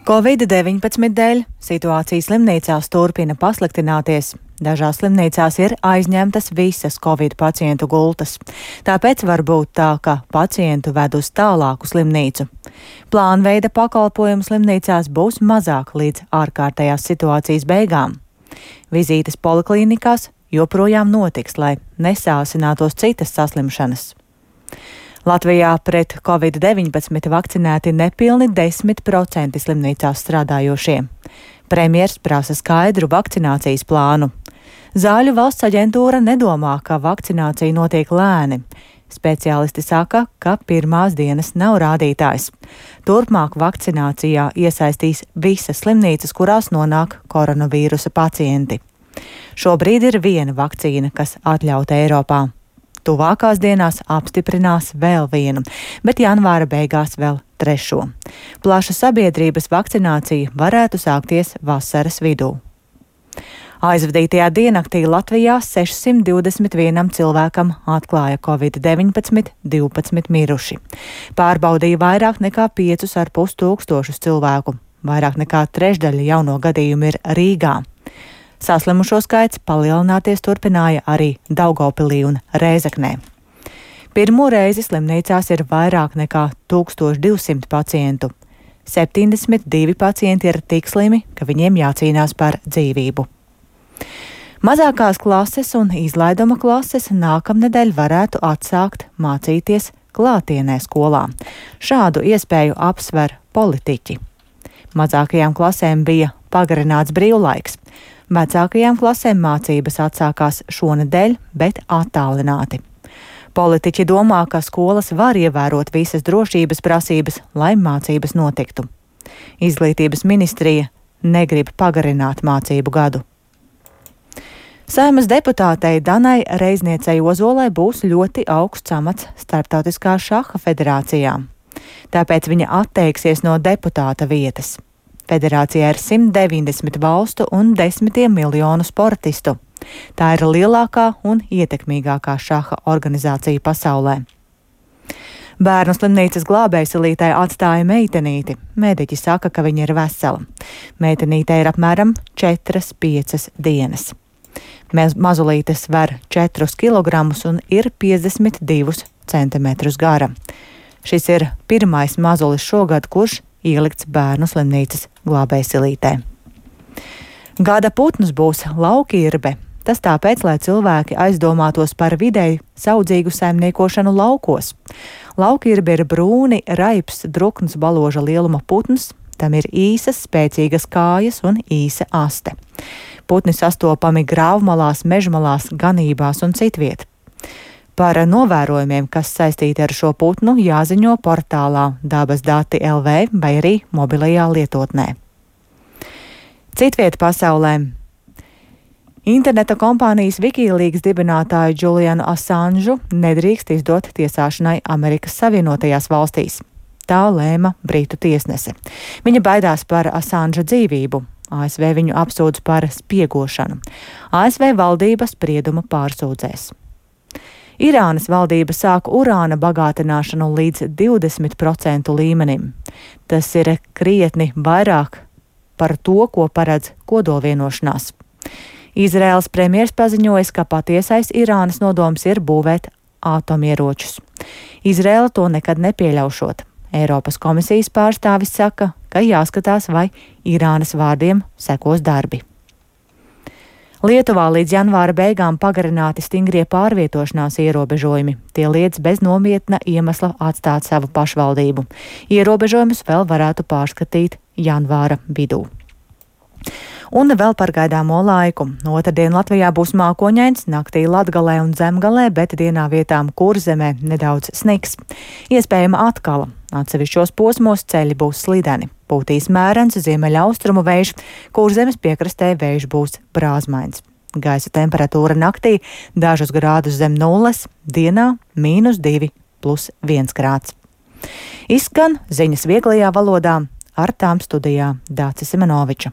Covid-19 dēļ situācija slimnīcās turpina pasliktināties. Dažās slimnīcās ir aizņemtas visas Covid pacientu gultas. Tāpēc var būt tā, ka pacientu ved uz tālāku slimnīcu. Plānveida pakalpojumu slimnīcās būs mazāk līdz ārkārtējās situācijas beigām. Vizītes poliklinikās joprojām notiks, lai nesāsinātos citas saslimšanas. Latvijā pret Covid-19 vakcinēti nepilni 10% slimnīcās strādājošie. Premjers prasa skaidru vakcinācijas plānu. Zāļu valsts aģentūra nedomā, ka vakcinācija notiek lēni. Speciālisti saka, ka pirmās dienas nav rādītājs. Turpmāk vakcinācijā iesaistīs visas slimnīcas, kurās nonāk koronavīrusa pacienti. Šobrīd ir viena vakcīna, kas atļauta Eiropā. Tuvākās dienās apstiprinās vēl vienu, bet janvāra beigās vēl trešo. Plaša sabiedrības vakcinācija varētu sākties vasaras vidū. Aizvadītajā diennaktī Latvijā 621 cilvēkam atklāja Covid-19, 12 miruši. Pārbaudīja vairāk nekā 5,5 tūkstošus cilvēku. Vairāk nekā trešdaļa jauno gadījumu ir Rīgā. Saslimušo skaits palielināties turpināja arī Daugavpilī un Rēzeknē. Pirmo reizi slimnīcās ir vairāk nekā 1200 pacientu. 72 pacienti ir tik slimi, ka viņiem jācīnās par dzīvību. Mazākās klases un izlaiduma klases nākamnedēļ varētu atsākt mācīties klātienē skolā. Šādu iespēju apsver politiķi. Mazākajām klasēm bija pagarināts brīvlaiks. Vecākajām klasēm mācības atsākās šonedēļ, bet attālināti. Politiķi domā, ka skolas var ievērot visas drošības prasības, lai mācības notiktu. Izglītības ministrija negrib pagarināt mācību gadu. Saeimas deputātei Danai Reizniecei Ozolai būs ļoti augsts amats Starptautiskā šaha federācijā. Tāpēc viņa atteiksies no deputāta vietas. Federācijā ir 190 valstu un 10 miljonu sportistu. Tā ir lielākā un ietekmīgākā šaha organizācija pasaulē. Bērnu slimnīcas glābējsilītei atstāja meitenīti. Mediķi saka, ka viņa ir vesela. Meitenītei ir apmēram 4-5 dienas. Mazulīte sver 4 kilogramus un ir 52 centimetrus gara. Šis ir pirmais mazulis šogad, kurš ielikts bērnu slimnīcas glābējsilītē. Gada putns būs laukirbe. Tas tāpēc, lai cilvēki aizdomātos par videi saudzīgu saimniekošanu laukos. Laukirbe ir brūni, raips, drukns baloža lieluma putns. Tam ir īsas, spēcīgas kājas un īsa aste. Putni sastopami grāvmalās, mežmalās, ganībās un citviet. Par novērojumiem, kas saistīti ar šo putnu, jāziņo portālā Dabas dati LV vai arī mobilajā lietotnē. Citviet pasaulē. Interneta kompānijas Wikileaks dibinātāju Julianu Assanžu nedrīkst izdot tiesāšanai Amerikas Savienotajās valstīs. Tā lēma Britu tiesnese. Viņa baidās par Assanža dzīvību. ASV viņu apsūdz par spiegošanu. ASV valdība spriedumu pārsūdzēs. Irānas valdība sāk urāna bagātināšanu līdz 20% līmenim. Tas ir krietni vairāk par to, ko paredz kodolvienošanās. Izraēlas premjers paziņoja, ka patiesais Irānas nodoms ir būvēt atomieročus. Izraēla to nekad nepieļaušot. Eiropas komisijas pārstāvis saka, ka jāskatās, vai Irānas vārdiem sekos darbi. Lietuvā līdz janvāra beigām pagarināti stingrie pārvietošanās ierobežojumi. Tie liedz bez nopietna iemesla atstāt savu pašvaldību. Ierobežojumus vēl varētu pārskatīt janvāra vidū. Un vēl par gaidāmo laiku. Otrdien Latvijā būs mākoņains, naktī Latgalē un Zemgalē, bet dienā vietām Kurzemē nedaudz sniks. Iespējama atkala. Atsevišķos posmos ceļi būs slideni. Pūtīs mērens ziemeļaustrumu vējš, Kurzemes piekrastē vējš būs brāzmains. Gaisa temperatūra naktī dažus grādus zem nulles, dienā -2 + 1 grāds. Izskan ziņas vieglajā valodā, ar tām studijā Dācis Simenoviča.